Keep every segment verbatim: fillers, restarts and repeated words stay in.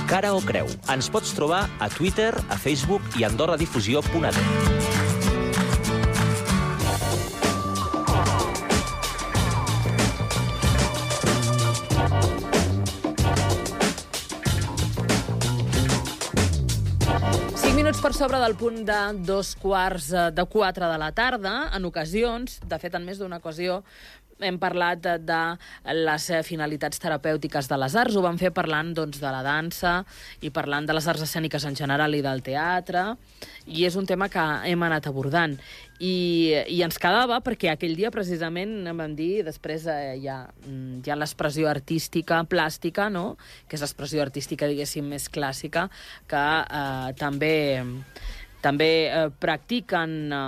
Cara o creu. Ens pots trobar a Twitter, a Facebook i a andorradifusió punt a t. Minuts per sobre del punt de dos quarts de quatre de la tarda. En ocasions, de fet, en més d'una ocasió, hem parlat de, de les finalitats terapèutiques de les arts. Ho vam fer parlant doncs, de la dansa i parlant de les arts escèniques en general i del teatre. I és un tema que hem anat abordant. I, i ens quedava perquè aquell dia precisament vam dir, després eh, hi ha, hi ha l'expressió artística plàstica, no? Que és l'expressió artística, diguéssim, més clàssica, que eh, també... també eh, practiquen eh,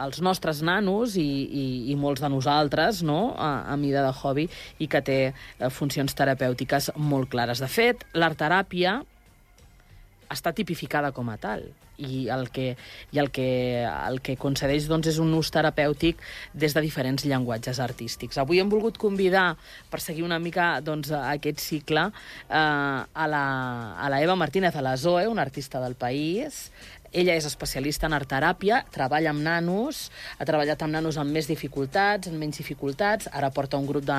els nostres nanos i, i, i molts de nosaltres, no?, a, a mida de hobby, i que té eh, funcions terapèutiques molt clares. De fet, l'artteràpia està tipificada com a tal, i el que, i el que, el que concedeix doncs, és un ús terapèutic des de diferents llenguatges artístics. Avui hem volgut convidar, per seguir una mica doncs, aquest cicle, eh, a, la, a la Eva Martínez, a la Zoe, una artista del país. Ella és especialista en artteràpia, treballa amb nanos, ha treballat amb nanos amb més dificultats, amb menys dificultats, ara porta un grup de,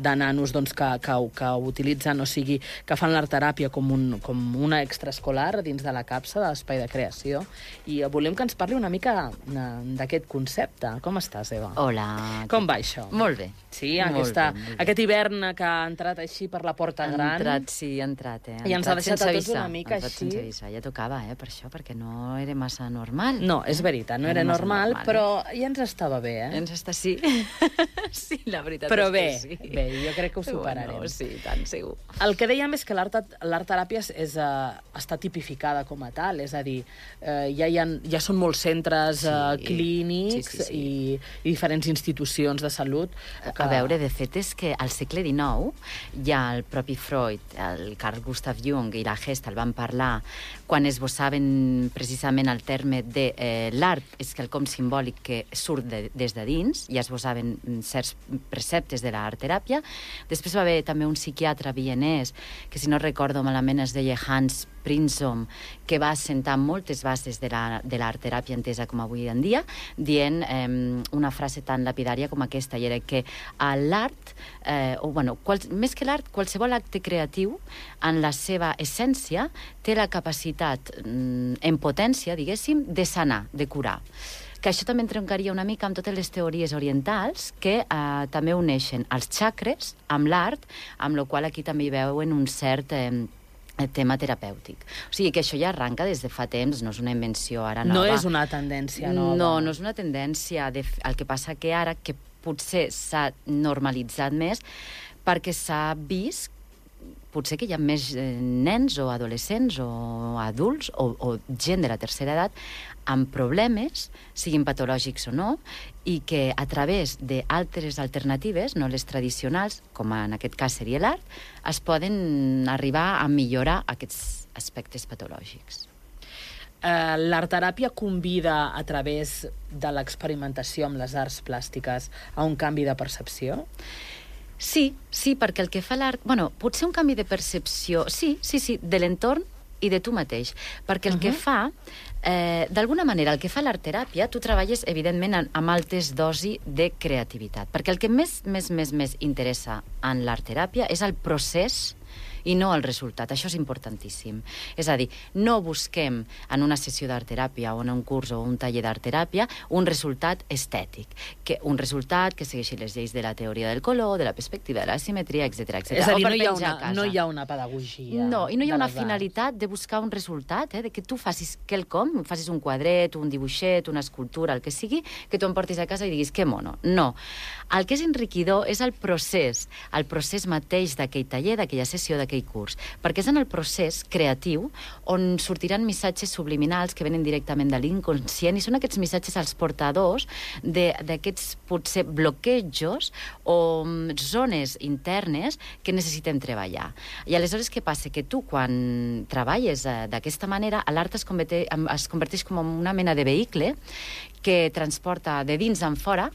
de nanos doncs, que, que, que utilitzen, o sigui, que fan l'artteràpia com, un, com una extraescolar dins de la capsa de l'Espai de Creació. I volem que ens parli una mica d'aquest concepte. Com estàs, Eva? Hola. Com va això? Molt bé. Sí, aquesta, molt bé, molt bé. Aquest hivern que ha entrat així per la porta ha gran. Ha entrat, sí, ha entrat. Eh? Ha I ens ha deixat a tots una mica així. Sense avisar. Ja tocava, eh, per això, perquè no era massa normal. No, és veritat, no era, era normal, normal, però ja ens estava bé, eh? Ens està, sí. Sí, la veritat però és bé, que sí. Bé, jo crec que ho superarem. Bueno, sí, tant, segur. El que dèiem és que l'artteràpia és, uh, està tipificada com a tal, és a dir, uh, ja, hi ha, ja són molts centres uh, sí, clínics sí, sí, sí. I, i diferents institucions de salut. Que... A veure, de fet, és que al segle dinou ja el propi Freud, el Carl Gustav Jung i la Gestalt van parlar quan esbossaven precisament el terme de eh, l'art és quelcom simbòlic que surt de, des de dins, ja esbosaven certs preceptes de l'artteràpia. Després va haver també un psiquiatre vienès, que si no recordo malament es deia Hans Prinzom, que va assentar moltes bases de l'artteràpia entesa com avui en dia, dient eh, una frase tan lapidària com aquesta, i era que l'art, eh, o bueno, qual, més que l'art, qualsevol acte creatiu, en la seva essència, té la capacitat mm, en potència, diguéssim, de sanar, de curar. Que això també entroncaria una mica amb totes les teories orientals que eh, també uneixen els xacres amb l'art, amb la qual aquí també hi veuen un cert... Eh, tema terapèutic. O sigui que això ja arranca des de fa temps, no és una invenció ara nova. No és una tendència nova. No, no és una tendència. De... El que passa que ara, que potser s'ha normalitzat més, perquè s'ha vist potser que hi ha més nens o adolescents o adults o, o gent de la tercera edat amb problemes, siguin patològics o no, i que a través d'altres alternatives, no les tradicionals, com en aquest cas seria l'art, es poden arribar a millorar aquests aspectes patològics. Uh, l'artteràpia convida a través de l'experimentació amb les arts plàstiques a un canvi de percepció? Sí, sí, perquè el que fa l'art... Bueno, potser un canvi de percepció... Sí, sí, sí, de l'entorn i de tu mateix. Perquè el uh-huh. que fa... Eh, d'alguna manera, el que fa l'artteràpia, tu treballes, evidentment, amb altes dosi de creativitat. Perquè el que més, més, més, més interessa en l'artteràpia és el procés i no el resultat. Això és importantíssim. És a dir, no busquem en una sessió d'artteràpia o en un curs o un taller d'artteràpia un resultat estètic, que un resultat que segueixi les lleis de la teoria del color, de la perspectiva, de la simetria, etcètera, etcètera. És a dir, no hi, ha una, no hi ha una pedagogia. No, i no hi ha una finalitat de buscar un resultat, eh, de que tu facis quelcom, facis un quadret, un dibuixet, una escultura, el que sigui, que tu em portis a casa i diguis que mono. No. El que és enriquidor és el procés, el procés mateix d'aquell taller, d'aquella sessió, d'aquell curs, perquè és en el procés creatiu on sortiran missatges subliminals que venen directament de l'inconscient i són aquests missatges els portadors d'aquests potser bloquejos o zones internes que necessitem treballar. I aleshores què passa? Que tu quan treballes d'aquesta manera l'art es, es converteix com una mena de vehicle que transporta de dins en fora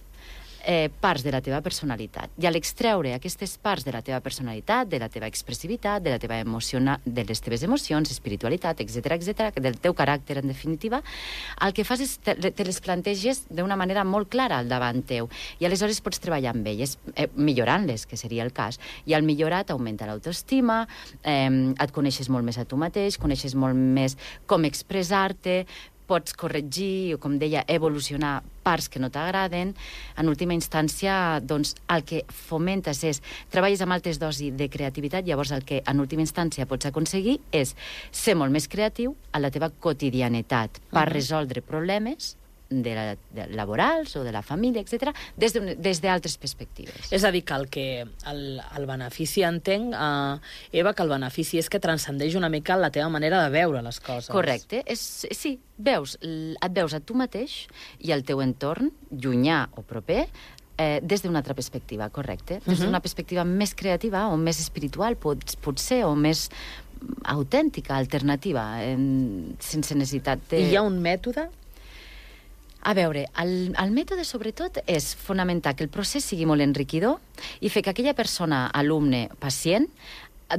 eh, parts de la teva personalitat. I a l'extreure aquestes parts de la teva personalitat, de la teva expressivitat, de la teva emociona, de les teves emocions, espiritualitat, etcètera, etcètera, del teu caràcter, en definitiva, el que fas és te, te les planteges d'una manera molt clara al davant teu. I aleshores pots treballar amb elles, eh, millorant-les, que seria el cas. I al millorar t'augmenta l'autoestima, eh, et coneixes molt més a tu mateix, coneixes molt més com expressar-te, pots corregir o, com deia, evolucionar parts que no t'agraden. En última instància, doncs, el que fomentes és treballes amb altes dosis de creativitat, llavors el que en última instància pots aconseguir és ser molt més creatiu a la teva quotidianitat per resoldre problemes de la, de laborals o de la família, etcètera, des de, des d'altres perspectives. És a dir, que el, que el, el benefici, entenc, eh, Eva, que el benefici és que transcendeix una mica la teva manera de veure les coses. Correcte. És, sí, veus, et veus a tu mateix i al teu entorn, llunyà o proper, eh, des d'una altra perspectiva, correcte. Des d'una perspectiva més creativa o més espiritual, pot, potser, o més autèntica, alternativa, eh, sense necessitat de... I hi ha un mètode? A veure, el, el mètode, sobretot, és fonamentar que el procés sigui molt enriquidor i fer que aquella persona, alumne, pacient,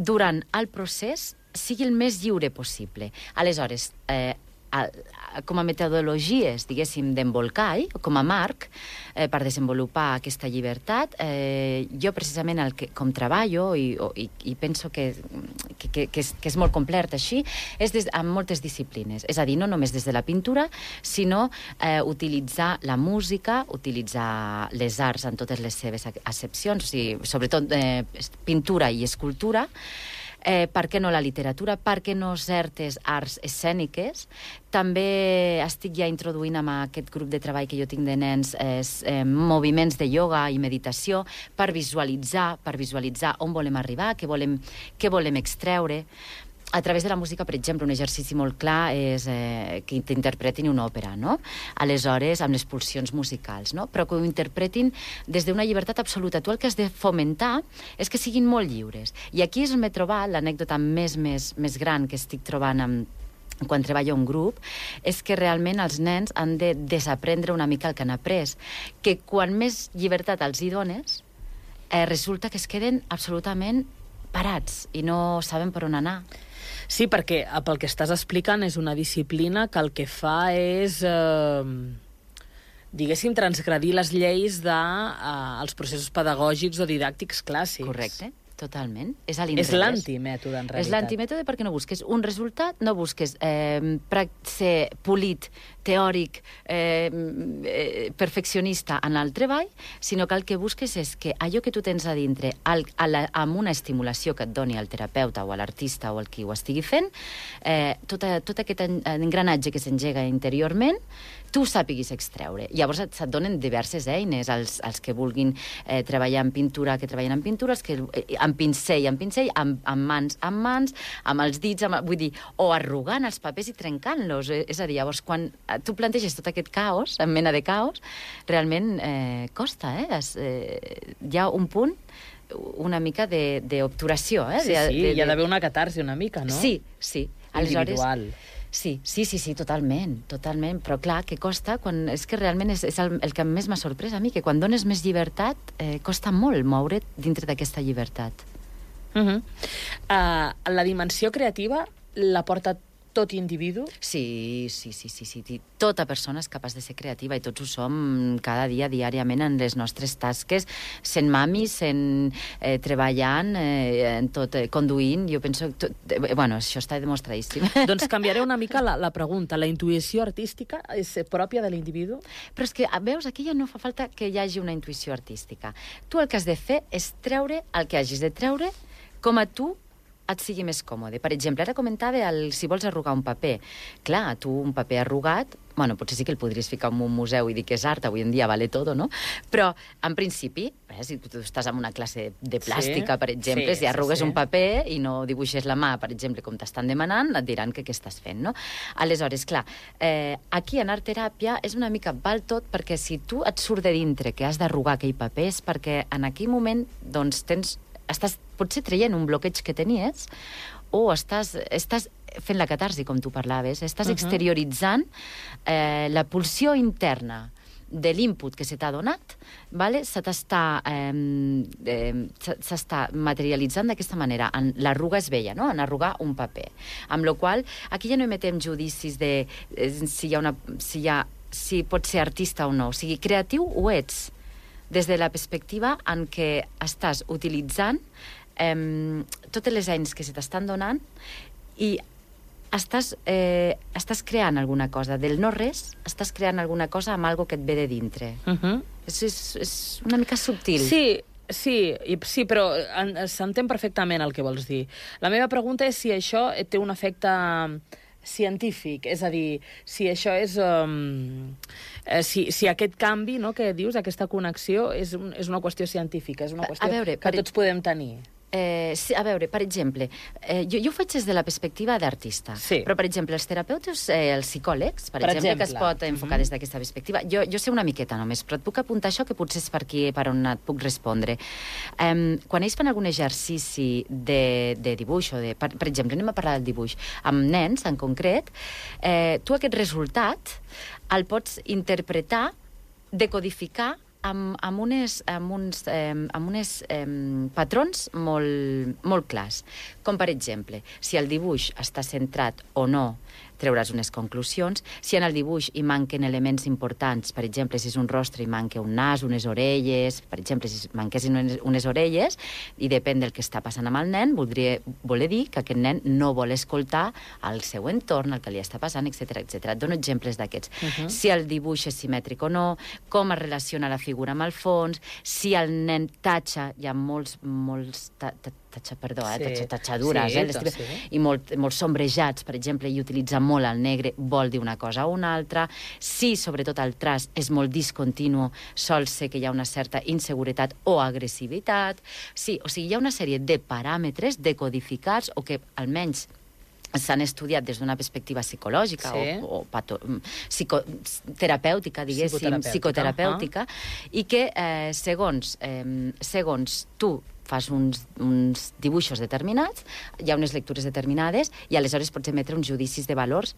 durant el procés sigui el més lliure possible. Aleshores, eh, a, a, com a metodologies, diguéssim, d'embolcall, com a marc, eh, per desenvolupar aquesta llibertat, eh, jo precisament el que, com treballo i, i, i penso que, que, que, que, és, que és molt complet així, és des, amb moltes disciplines. És a dir, no només des de la pintura, sinó eh, utilitzar la música, utilitzar les arts en totes les seves accepcions, o sigui, sobretot eh, pintura i escultura, Eh, per què no la literatura, per què no certes arts escèniques. També estic ja introduint amb aquest grup de treball que jo tinc de nens eh, eh, moviments de ioga i meditació per visualitzar, per visualitzar on volem arribar, què volem, què volem extreure. A través de la música, per exemple, un exercici molt clar és eh, que t'interpretin una òpera, no? Aleshores, amb les pulsions musicals, no? Però que ho interpretin des d'una llibertat absoluta. Tu el que has de fomentar és que siguin molt lliures. I aquí és on m'he trobat l'anècdota més, més, més gran que estic trobant amb quan treballo en grup, és que realment els nens han de desaprendre una mica el que han après. Que quan més llibertat els hi dones, eh, resulta que es queden absolutament parats i no saben per on anar. Sí, perquè pel que estàs explicant és una disciplina que el que fa és, eh, diguéssim, transgredir les lleis dels eh, processos pedagògics o didàctics clàssics. Correcte. Totalment. És, és l'antimètode, en realitat. És l'antimètode perquè no busques un resultat, no busques eh, ser polit, teòric, eh, eh, perfeccionista en el treball, sinó que el que busques és que allò que tu tens a dintre, al, a la, amb una estimulació que et doni el terapeuta o l'artista o el qui ho estigui fent, eh, tot, a, tot aquest engranatge que s'engega interiorment, tu sàpiguis extreure. Llavors et, et donen diverses eines, els, els que vulguin eh, treballar en pintura, que treballen en pintura, els que, eh, amb pincell, amb pincell, amb, amb mans, amb mans, amb els dits, amb, vull dir, o arrugant els papers i trencant-los. Eh, és a dir, llavors, quan tu planteges tot aquest caos, en mena de caos, realment eh, costa, eh? Es, eh? Hi ha un punt una mica d'obturació, eh? Sí, de, sí, de, de... hi ha d'haver una catarsi una mica, no? Sí, sí. Individual. Aleshores, sí, sí, sí, sí, totalment, totalment, però clar, que costa, quan, és que realment és, és el, el que més m'ha sorprès a mi, que quan dones més llibertat, eh, costa molt moure't dintre d'aquesta llibertat. Uh -huh. uh, la dimensió creativa la porta tot individu? Sí, sí, sí, sí, sí. Tota persona és capaç de ser creativa i tots ho som cada dia, diàriament, en les nostres tasques, sent mami, sent eh, treballant, eh, en tot, eh, conduint, jo penso... Tot, eh, bueno, això està demostradíssim. Doncs canviaré una mica la, la pregunta. La intuïció artística és pròpia de l'individu? Però és que, veus, aquí ja no fa falta que hi hagi una intuïció artística. Tu el que has de fer és treure el que hagis de treure com a tu et sigui més còmode. Per exemple, ara comentava el, si vols arrugar un paper. Clar, tu un paper arrugat, bueno, potser sí que el podries ficar en un museu i dir que és art, avui en dia vale todo, no? Però, en principi, eh, si tu estàs en una classe de plàstica, sí, per exemple, sí, si arrugues sí, sí. un paper i no dibuixes la mà, per exemple, com t'estan demanant, et diran que què estàs fent, no? Aleshores, clar, eh, aquí en art-teràpia és una mica val tot, perquè si tu et surt de dintre que has d'arrugar aquell paper és perquè en aquell moment, doncs, tens estàs potser traient un bloqueig que tenies o estàs, estàs fent la catarsi, com tu parlaves, estàs uh-huh. exterioritzant eh, la pulsió interna de l'input que se t'ha donat, vale? se t'està eh, eh, s'està materialitzant d'aquesta manera. En l'arruga es veia, no? En arrugar un paper. Amb la qual aquí ja no emetem judicis de eh, si hi ha una... Si hi ha, si pot ser artista o no. O sigui, creatiu ho ets, des de la perspectiva en què estàs utilitzant eh, totes les eines que se t'estan donant i estàs, eh, estàs creant alguna cosa. Del no-res, estàs creant alguna cosa amb algo que et ve de dintre. Uh -huh. és, és, és una mica subtil. Sí, sí, i, sí però s'entén perfectament el que vols dir. La meva pregunta és si això té un efecte científic, és a dir, si això és... Um, eh, si, si aquest canvi, no, que dius, aquesta connexió, és, un, és una qüestió científica, és una qüestió veure, que tots podem tenir. Eh, sí, a veure, per exemple, eh, jo, jo ho faig des de la perspectiva d'artista, sí. però, per exemple, els terapeutes, eh, els psicòlegs, per, per exemple, exemple, que es pot enfocar mm -hmm. des d'aquesta perspectiva, jo, jo sé una miqueta només, però et puc apuntar això que potser és per aquí, per on et puc respondre. Eh, quan ells fan algun exercici de, de dibuix, o de, per, per exemple, anem a parlar del dibuix, amb nens, en concret, eh, tu aquest resultat el pots interpretar, decodificar, amb, amb, unes, amb uns eh, amb unes, eh, patrons molt, molt clars. Com, per exemple, si el dibuix està centrat o no, treuràs unes conclusions. Si en el dibuix hi manquen elements importants, per exemple, si és un rostre i manca un nas, unes orelles, per exemple, si manquessin unes, unes orelles, i depèn del que està passant amb el nen, voldria voler dir que aquest nen no vol escoltar el seu entorn, el que li està passant, etcètera, etcètera. Et dono exemples d'aquests. Uh -huh. Si el dibuix és simètric o no, com es relaciona la figura amb el fons, si el nen tatxa, hi ha molts, molts ta, ta, tatxa, perdó, eh? Sí. Tatxa, tatxadures, sí, eh? doncs, sí. I molt, molt sombrejats, per exemple, i utilitza molt el negre, vol dir una cosa o una altra. Si, sobretot, el traç és molt discontinu, sol ser que hi ha una certa inseguretat o agressivitat. Sí, o sigui, hi ha una sèrie de paràmetres decodificats o que, almenys, s'han estudiat des d'una perspectiva psicològica sí. o, o pato, psicoterapèutica, diguéssim, psicoterapèutica, psicoterapèutica uh-huh. i que, eh, segons, eh, segons tu fas uns, uns dibuixos determinats, hi ha unes lectures determinades i aleshores pots emetre uns judicis de valors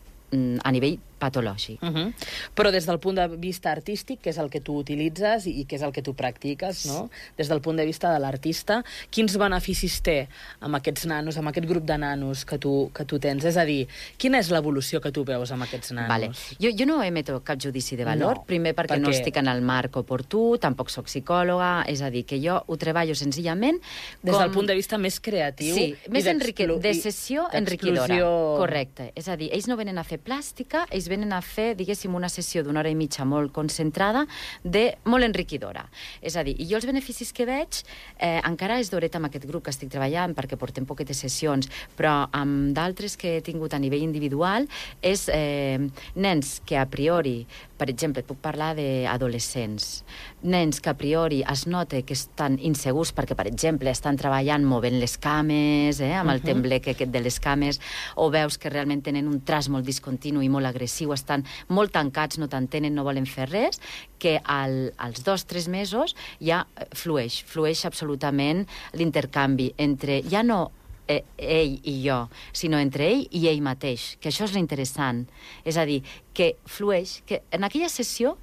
a nivell patològic. Uh -huh. Però des del punt de vista artístic, que és el que tu utilitzes i que és el que tu practiques, no? Des del punt de vista de l'artista, quins beneficis té amb aquests nanos, amb aquest grup de nanos que tu, que tu tens? És a dir, quina és l'evolució que tu veus amb aquests nanos? Vale. Jo, jo no emeto cap judici de valor, no, primer perquè, perquè no estic en el marc oportú, tampoc soc psicòloga, és a dir, que jo ho treballo senzillament des com... del punt de vista més creatiu, sí, més enrique... de sessió enriquidora. Correcte. És a dir, ells no venen a fer plàstica, ells venen a fer, diguéssim, una sessió d'una hora i mitja molt concentrada, de molt enriquidora. És a dir, i jo els beneficis que veig, eh, encara és d'horet amb aquest grup que estic treballant, perquè portem poquetes sessions, però amb d'altres que he tingut a nivell individual, és eh, nens que a priori, per exemple, puc parlar d'adolescents, nens que a priori es nota que estan insegurs perquè, per exemple, estan treballant movent les cames, eh, amb el uh -huh. temblec aquest de les cames, o veus que realment tenen un traç molt discontinu i molt agressiu, estan molt tancats, no t'entenen, no volen fer res, que al, als dos, tres mesos ja flueix, flueix absolutament l'intercanvi entre, ja no eh, ell i jo, sinó entre ell i ell mateix, que això és l'interessant. És a dir, que flueix, que en aquella sessió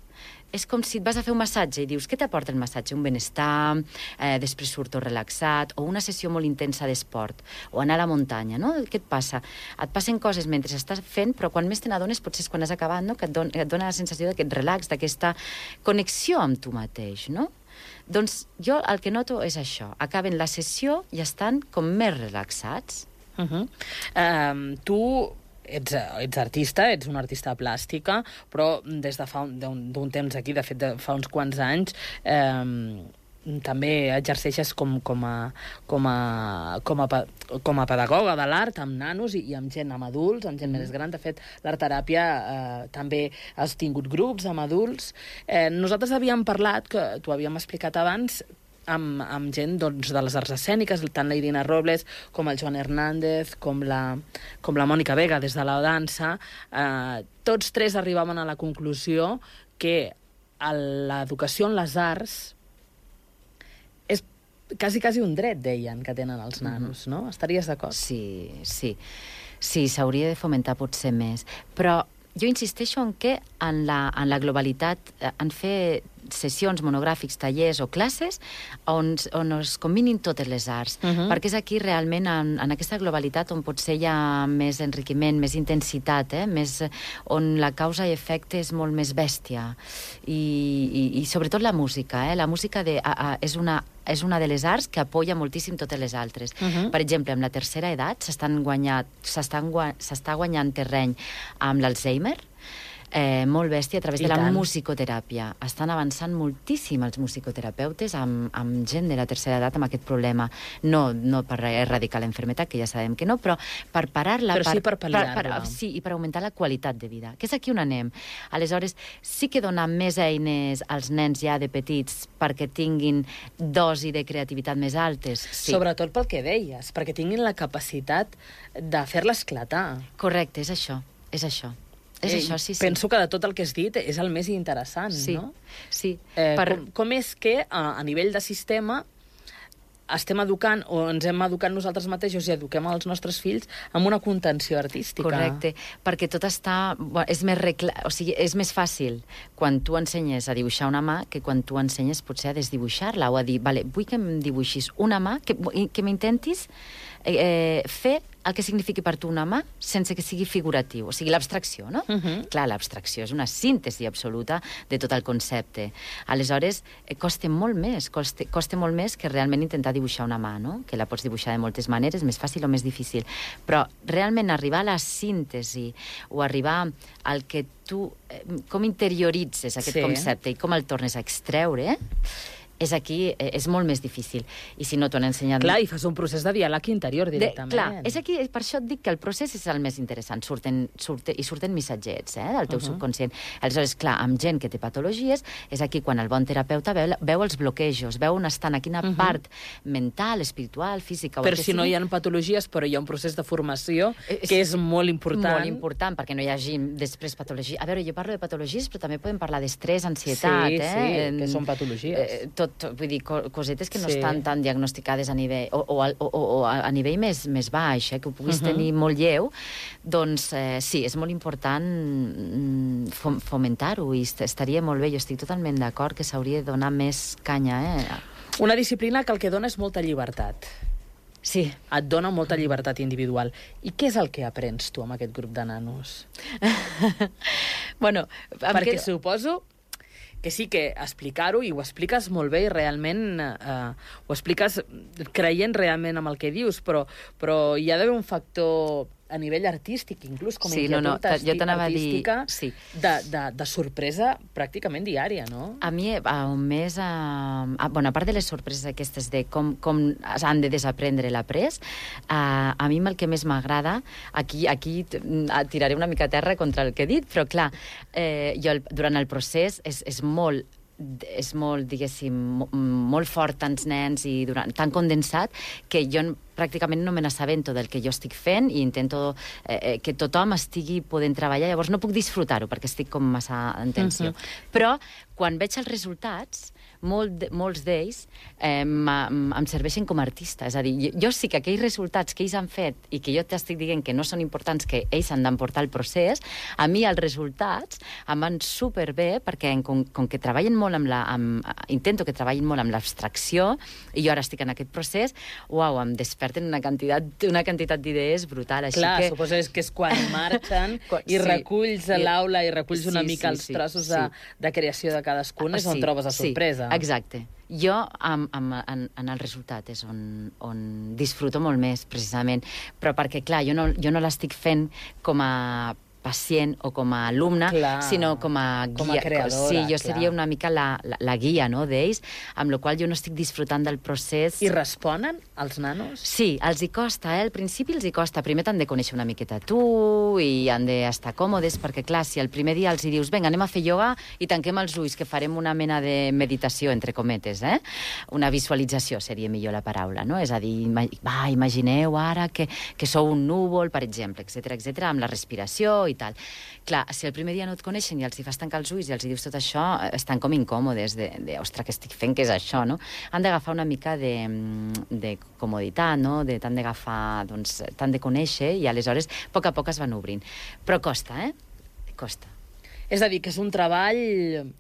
és com si et vas a fer un massatge i dius, què t'aporta el massatge? Un benestar, eh, després surto relaxat, o una sessió molt intensa d'esport, o anar a la muntanya, no? Què et passa? Et passen coses mentre estàs fent, però quan més te n'adones potser és quan has acabat, no? Que et, don, et dona la sensació d'aquest relax, d'aquesta connexió amb tu mateix, no? Doncs jo el que noto és això. Acaben la sessió i estan com més relaxats. Uh -huh. um, tu... Ets, ets artista, ets una artista plàstica, però des de fa d'un temps aquí, de fet de fa uns quants anys, eh, també exerceixes com, com, a, com, a, com, a, com a pedagoga de l'art amb nanos i, i amb gent, amb adults, amb gent mm. més gran. De fet, l'art-teràpia eh, també has tingut grups amb adults. Eh, nosaltres havíem parlat, que t'ho havíem explicat abans, Amb, amb gent doncs, de les arts escèniques, tant la Irina Robles com el Joan Hernández, com la, com la Mònica Vega des de la dansa. Eh, tots tres arribaven a la conclusió que l'educació en les arts és quasi, quasi un dret, deien, que tenen els nanos, no? Estaries d'acord? Sí, sí. Sí, s'hauria de fomentar potser més. Però jo insisteixo en que en la, en la globalitat, en fer sessions, monogràfics, tallers o classes on, on es combinin totes les arts, uh -huh. perquè és aquí realment en, en aquesta globalitat on potser hi ha més enriquiment, més intensitat, eh? més, on la causa i efecte és molt més bèstia i, i, i sobretot la música, eh? La música de, a, a, és una és una de les arts que apoya moltíssim totes les altres. Uh -huh. Per exemple, amb la tercera edat s'estan guanyant, s'està guanyant terreny amb l'Alzheimer, Eh, molt bèstia, a través I de la tant. musicoteràpia. Estan avançant moltíssim els musicoterapeutes amb, amb gent de la tercera edat amb aquest problema. No, no per erradicar la enfermetat, que ja sabem que no, però per parar-la... Però per, sí per pal·liar-la. Sí, i per augmentar la qualitat de vida, que és aquí on anem. Aleshores, sí que donar més eines als nens ja de petits perquè tinguin dosi de creativitat més altes. Sí. Sobretot pel que deies, perquè tinguin la capacitat de fer-la esclatar. Correcte, és això, és això. És eh, això, sí, sí. Penso que de tot el que has dit és el més interessant, sí, no? Sí. Eh, per... com, com és que a, a nivell de sistema estem educant o ens hem educat nosaltres mateixos i eduquem els nostres fills amb una contenció artística? Correcte, perquè tot està... Bueno, és, més recla... o sigui, és més fàcil quan tu ensenyes a dibuixar una mà que quan tu ensenyes potser a desdibuixar-la o a dir, vale, vull que em dibuixis una mà, que, que m'intentis eh, fer el que signifiqui per tu una mà sense que sigui figuratiu, o sigui, l'abstracció, no? Uh -huh. Clar, l'abstracció és una síntesi absoluta de tot el concepte. Aleshores, eh, costa molt més, costa, costa molt més que realment intentar dibuixar una mà, no? Que la pots dibuixar de moltes maneres, més fàcil o més difícil. Però realment arribar a la síntesi o arribar al que tu... Eh, com interioritzes aquest sí. concepte i com el tornes a extreure, eh? és aquí, és molt més difícil. I si no t'ho han ensenyat... Clar, i fas un procés de diàleg interior directament. De, clar, és aquí, per això et dic que el procés és el més interessant. Surten, surten, I surten missatgets, eh, del teu uh -huh. subconscient. Aleshores, clar, amb gent que té patologies, és aquí quan el bon terapeuta veu, veu els bloquejos, veu on estan, a quina uh -huh. part mental, espiritual, física... Però si sigui. No hi ha patologies, però hi ha un procés de formació que és, és molt important. Molt important, perquè no hi hagi després patologia. A veure, jo parlo de patologies, però també podem parlar d'estrès, ansietat... Sí, eh? sí, que són patologies. Eh, tot Tot, vull dir, cosetes que no sí. estan tan diagnosticades a nivell, o, o, o, o a nivell més, més baix, eh, que ho puguis uh -huh. tenir molt lleu, doncs eh, sí, és molt important fomentar-ho i estaria molt bé. Jo estic totalment d'acord que s'hauria de donar més canya. Eh? Una disciplina que el que dona és molta llibertat. Sí. Et dona molta llibertat individual. I què és el que aprens tu amb aquest grup de nanos? bueno, Perquè que... suposo... que sí que explicar-ho, i ho expliques molt bé i realment eh, ho expliques creient realment amb el que dius, però, però hi ha d'haver un factor a nivell artístic, inclús com a sí, inquietud no, no, jo artística, dir, sí. de, de, de sorpresa pràcticament diària, no? A mi, a un mes, a, a, bueno, a part de les sorpreses aquestes de com, com han de desaprendre l'après, a, a mi el que més m'agrada, aquí, aquí tiraré una mica a terra contra el que he dit, però clar, eh, jo el, durant el procés és, és molt és molt, diguéssim, molt fort, tants nens i durant, tan condensat, que jo pràcticament no me n'assabento del que jo estic fent i intento eh, que tothom estigui podent treballar, llavors no puc disfrutar-ho perquè estic com massa en tensió. Uh-huh. Però quan veig els resultats, molt, molts d'ells eh, em serveixen com a artista. És a dir, jo, jo sí que aquells resultats que ells han fet i que jo t'estic dient que no són importants, que ells han d'emportar el procés, a mi els resultats em van superbé perquè com, com que treballen molt amb la... Amb, intento que treballin molt amb l'abstracció i jo ara estic en aquest procés, uau, em desperten una quantitat, una quantitat d'idees brutal. Així Clar, que... suposo que és quan marxen i sí. reculls a l'aula i reculls sí, una mica sí, els trossos sí, sí. De, de creació de cadascun, és sí, on trobes la sorpresa. Sí, exacte. Jo, amb, amb, en, en el resultat, és on, on disfruto molt més, precisament. Però perquè, clar, jo no, jo no l'estic fent com a pacient o com a alumne, clar, sinó com a guia. Com a creadora, sí, jo clar. seria una mica la, la, la guia, no, d'ells, amb la qual jo no estic disfrutant del procés. I responen els nanos? Sí, els hi costa, eh? Al principi els hi costa. Primer t'han de conèixer una miqueta tu i han d'estar còmodes, perquè, clar, si el primer dia els hi dius vinga, anem a fer ioga i tanquem els ulls, que farem una mena de meditació, entre cometes, eh? Una visualització seria millor la paraula, no? És a dir, va, imagineu ara que, que sou un núvol, per exemple, etcètera, etcètera, amb la respiració i tal. Clar, si el primer dia no et coneixen i els hi fas tancar els ulls i els hi dius tot això, estan com incòmodes de, de ostres, què estic fent, què és això, no? Han d'agafar una mica de, de comoditat, no? De, t'han d'agafar, doncs, t'han de conèixer i aleshores a poc a poc es van obrint. Però costa, eh? costa. És a dir, que és un treball...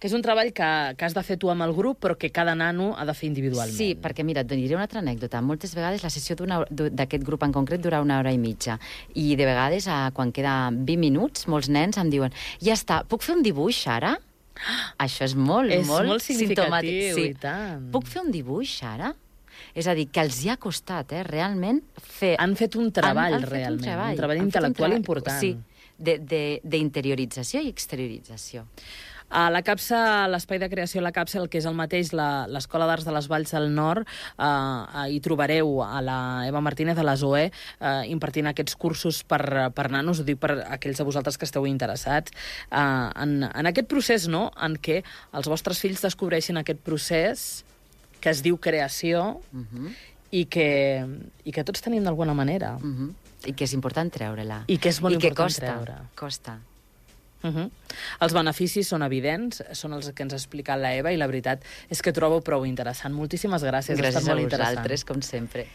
que és un treball que, que has de fer tu amb el grup, però que cada nano ha de fer individualment. Sí, perquè, mira, et diré una altra anècdota. Moltes vegades la sessió d'aquest grup en concret dura una hora i mitja. I de vegades, quan queda vint minuts, molts nens em diuen ja està, puc fer un dibuix ara? Això és molt, és molt, molt significatiu, simptomàtic. Sí. I tant. Puc fer un dibuix ara? És a dir, que els hi ha costat, eh, realment, fer... Han fet un treball, han, han fet realment, un treball, un treball han intel·lectual un treball, important. Sí, d'interiorització i exteriorització. A la CAPSA, l'espai de creació a la CAPSA, el que és el mateix, l'Escola d'Arts de les Valls del Nord, eh, hi trobareu a la Eva Martínez, a la Zoé, eh, impartint aquests cursos per, per nanos, ho dic per aquells de vosaltres que esteu interessats, eh, en, en aquest procés, no?, en què els vostres fills descobreixin aquest procés que es diu creació uh -huh. i, que, i que tots tenim d'alguna manera. Uh -huh. I que és important treure-la. I que és molt I que important costa, treure. costa. Uh -huh. Els beneficis són evidents, són els que ens ha explicat la Eva, i la veritat és que trobo prou interessant. Moltíssimes gràcies. Gràcies ha estat molt a vosaltres, interessant. com sempre.